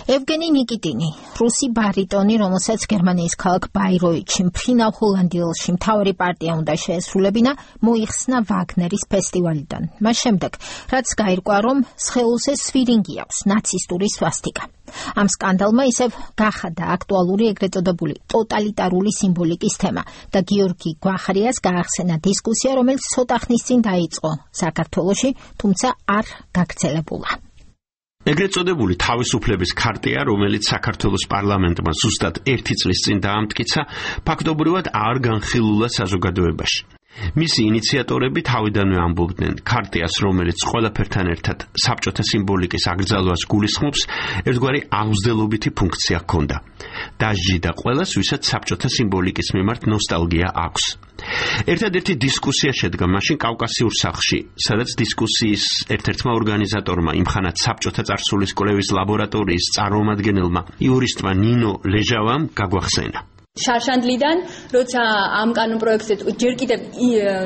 ევგენი ნიკიტინი, რუსი ბარიტონი, რომელსაც გერმანიის ქალაქ ბაიროიტში, მფრინავ ჰოლანდიელში მთავარი პარტია უნდა შეესრულებინა, მოიხსნა ვაგნერის ფესტივალიდან. მას შემდეგ, რაც გაირკვა, რომ სხეულზე სვირინგი აქვს, ნაცისტური სვასტიკა. ამ სკანდალმა ისევ გახადა აქტუალური ეგრეთ წოდებული ტოტალიტარული სიმბოლიკის თემა და გიორგი გვახარიას გაახსენა დისკუსია, რომელიც ცოტა ხნის წინ დაიწყო საქართველოში, თუმცა არ გაგრძელებულა. ეგრეთ წოდებული თავისუფლების ქარტია, რომელიც საქართველოს პარლამენტმა ზუსტად 1 წლის წინ დაამტკიცა, ფაქტობრივად არ განხილულა საზოგადოებაში. მისი ინიციატორები თავიდანვე ამბობდნენ, ქარტიას, რომელიც ყველაფერთან ერთად საბჭოთა სიმბოლიკის აკრძალვას გულისხმობს, ერთგვარი აღმზრდელობითი ფუნქცია ჰქონდა. დასჯი და ყველას, ვისაც საბჭოთა სიმბოლიკის მიმართ ნოსტალგია აქვს. ერთადერთი დისკუსია შედგა მაშინ კავკასიურ სახლში, სადაც დისკუსიის ერთ-ერთმა ორგანიზატორმა, იმხანად საბჭოთა წარსულის კვლევის ლაბორატორიის წარმომადგენელმა, იურისტმა ნინო ლეჟავამ გაგვახსენა. შარშანდლიდან, როცა ამ კანონ პროექტზე ჯერ კიდევ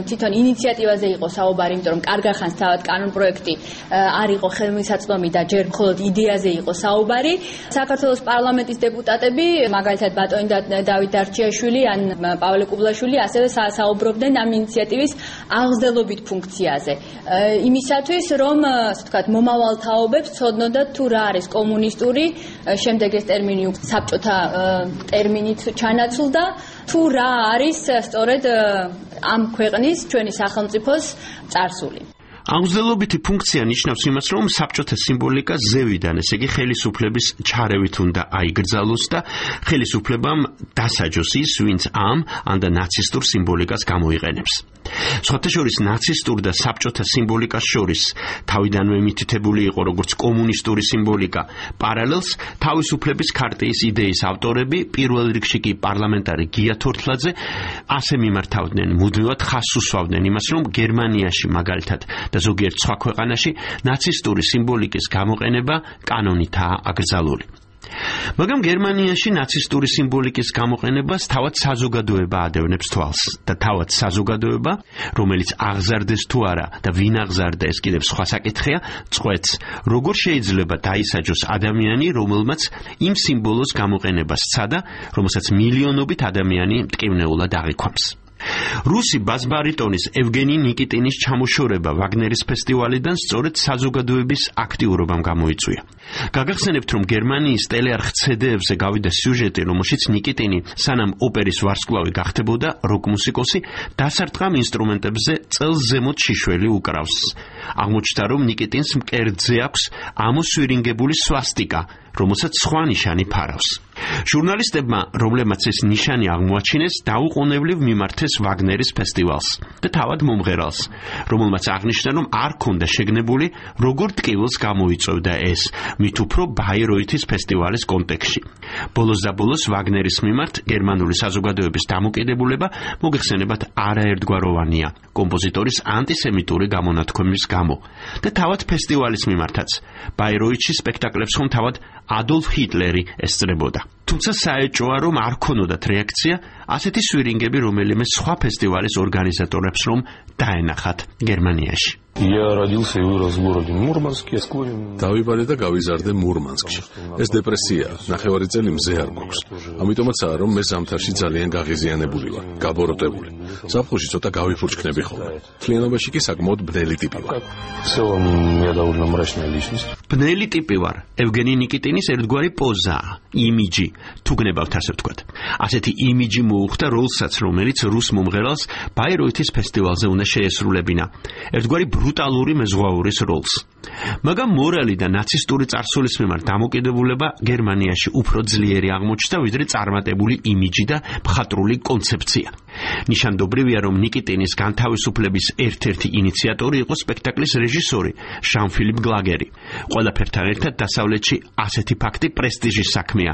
თვითონ ინიციატივაზე იყო საუბარი, იმიტომ რომ კარგ ახანს თავად კანონ პროექტი არ იყო ხელმისაწვდომი და ჯერ მხოლოდ იდეაზე იყო საუბარი. საქართველოს პარლამენტის დეპუტატები, მაგალითად ბატონი დავით დარჩიაშვილი ან პავლე კუბლაშვილი, ასევე საუბრობდნენ ამ ინიციატივის აღმზრდელობით ფუნქციაზე. იმისათვის, რომ, ასე ვთქვათ, მომავალ თაობებს ცოდნოდათ თუ რა არის კომუნისტური, შემდეგ ეს ტერმინი საბჭოთა ტერმინით ჩანაცვლდა, თუ რა არის სწორედ ამ ქვეყნის, ჩვენი სახელმწიფოს წარსული. აღმზრდელობითი ფუნქცია ნიშნავს იმას, რომ საბჭოთა სიმბოლიკა ზევიდან, ესე იგი ხელისუფლების ჩარევით უნდა აიგრძალოს და ხელისუფლებამ დასაჯოს ის, ვინც ამ და ნაცისტურ სიმბოლიკას გამოიყენებს. სხვათა შორის ნაცისტურ და საბჭოთა სიმბოლიკას შორის თავიდანვე მითითებული იყო როგორც კომუნისტური სიმბოლიკა. პარალელს თავისუფლების ქარტიის იდეის ავტორები, პირველ რიგში კი პარლამენტარი გია თორთლაძე, ასე მიმართავდნენ, მუდმივად ხაზს უსვავდნენ იმას, რომ გერმანიაში მაგალითად და ზოგიერთ სხვა ქვეყანაში ნაცისტური სიმბოლიკის გამოყენება კანონითაა აკრძალული. მაგრამ გერმანიაში ნაცისტური სიმბოლიკის გამოყენებას თავად საზოგადოება ადევნებს თვალს და თავად საზოგადოება, რომელიც აღზარდეს თუ არა და ვინ აღზარდა, ეს კიდევ სხვა საკითხია, წყვეტს, როგორ შეიძლება დაისაჯოს ადამიანი, რომელმაც იმ სიმბოლოს გამოყენებას სცადა, რომელსაც მილიონობით ადამიანი მტკივნეულად აღიქვამს. რუსი ბას-ბარიტონის ევგენი ნიკიტინის ჩამოშორება ვაგნერის ფესტივალიდან სწორედ საზოგადოების აქტიურობამ გამოიწვია. გაგახსენებთ, რომ გერმანიის ტელეარხ CD-ებზე გავიდა სიუჟეტი, რომელშიც ნიკიტინი, სანამ ოპერის ვარსკვლავი გახდებოდა როკ-მუსიკოსი, დასარტყამ ინსტრუმენტებზე წელს ზემოთ შიშველი უკრავს. აღმოჩნდა, რომ ნიკიტინს მკერდზე აქვს ამოსვირინგებული სვასტიკა, რომელსაც სხვა ნიშანი ფარავს. ჟურნალისტებმა, რომლებმაც ეს ნიშანი აღმოაჩინეს, დაუყოვნებლივ მიმართეს ვაგნერის ფესტივალს და თავად მომღერალს, რომელმაც აღნიშნა, რომ არ ქონდა შეგნებული, როგორ ტკივილს გამოიწვევდა ეს, მით უფრო ბაიროითის ფესტივალის კონტექსტში. ბოლოს და ბოლოს ვაგნერის მიმართ გერმანული საზოგადოების დამოკიდებულება მოგეხსენებათ არაერთგვაროვანია კომპოზიტორის ანტისემიტური გამონათქვამის გამო და თავად ფესტივალის მიმართაც. ბაიროითში სპექტაკლებს ხომ თავად ადოლფ ჰიტლერი ესწრებოდა. თუმცა საეჭვოა, რომ არ ქონოდათ რეაქცია ასეთი სვირინგები რომელიმე სხვა ფესტივალის ორგანიზატორებს რომ დაენახათ გერმანიაში. დავიბადე და გავიზარდე მურმანსკში. ეს დეპრესია, ნახევარი წელი მზე არ გვაქვს. ამიტომაცაა, რომ მე ზამთარში ძალიან გაღიზიანებული ვარ, გაბოროტებული. ზაფხულში ცოტა გავიფურჩქნები ხოლმე. მთლიანობაში კი საკმაოდ ბნელი ტიპი ვარ. ბნელი ტიპი ვარ. ევგენი ნიკიტინის ერთგვარი პოზაა, იმიჯი, თუ გნებავთ ასე ვთქვათ. ასეთი იმიჯი მოუხდა როლსაც, რომელიც რუს მომღერალს ბაიროითის ფესტივალზე უნდა შეესრულებინა. ერთგვარი ბრუტალური მეზღვაურის როლს. მაგრამ მორალი და ნაცისტური წარსულის მიმართ დამოკიდებულება გერმანიაში უფრო ძლიერი აღმოჩნდა, ვიდრე წარმატებული იმიჯი და მხატვრული კონცეფცია. ნიშანდობრივია, რომ ნიკიტინის განთავისუფლების ერთ-ერთი ინიციატორი იყო სპექტაკლის რეჟისორი ჟან-ფილიპ გლაგერი. ყველაფერთან ერთად დასავლეთში ასეთი ფაქტი პრესტიჟის საქმეა.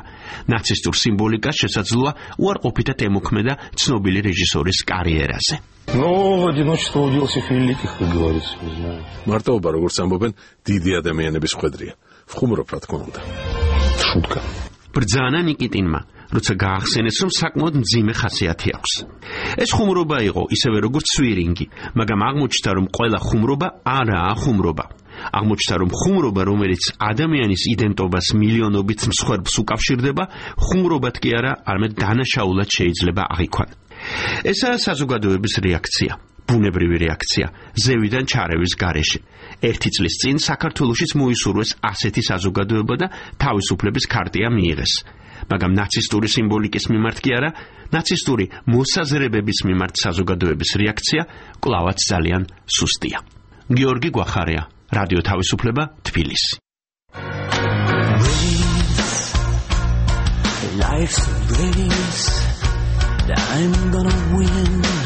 ნაცისტურ სიმბოლიკას შესაძლოა უარყოფითად ემოქმედა ცნობილი რეჟისორის კარიერაზე. მარტოობა, როგორც ამბობენ, დიდი ადამიანების ხვედრია. ვხუმრობ, რა თქმა უნდა. შუტკა. ბრძანა ნიკიტინმა, როცა გაახსენეს, რომ საკმაოდ მძიმე ხასიათი აქვს. ეს ხუმრობა იყო ისევე როგორც სვირინგი, მაგრამ აღმოჩნდა, რომ ყველა ხუმრობა არაა ხუმრობა. აღმოჩნდა, რომ ხუმრობა, რომელიც ადამიანის იდენტობას მილიონობით მსხვერპლს უკავშირდება, ხუმრობად კი არა, არამედ დანაშაულად შეიძლება აღიქვან. ესაა საზოგადოების რეაქცია, ბუნებრივი რეაქცია, ზევიდან ჩარევის გარეშე. 1 წლის წინ საქართველოშიც მოისურვეს ასეთი საზოგადოება და თავისუფლების ქარტია მიიღეს. მაგრამ ნაცისტური სიმბოლიკის მიმართ კი არა, ნაცისტური მოსაზრებების მიმართ საზოგადოების რეაქცია კვლავაც ძალიან სუსტია. გიორგი გვახარია, რადიო თავისუფლება, თბილისი. Life's a race, I'm gonna win.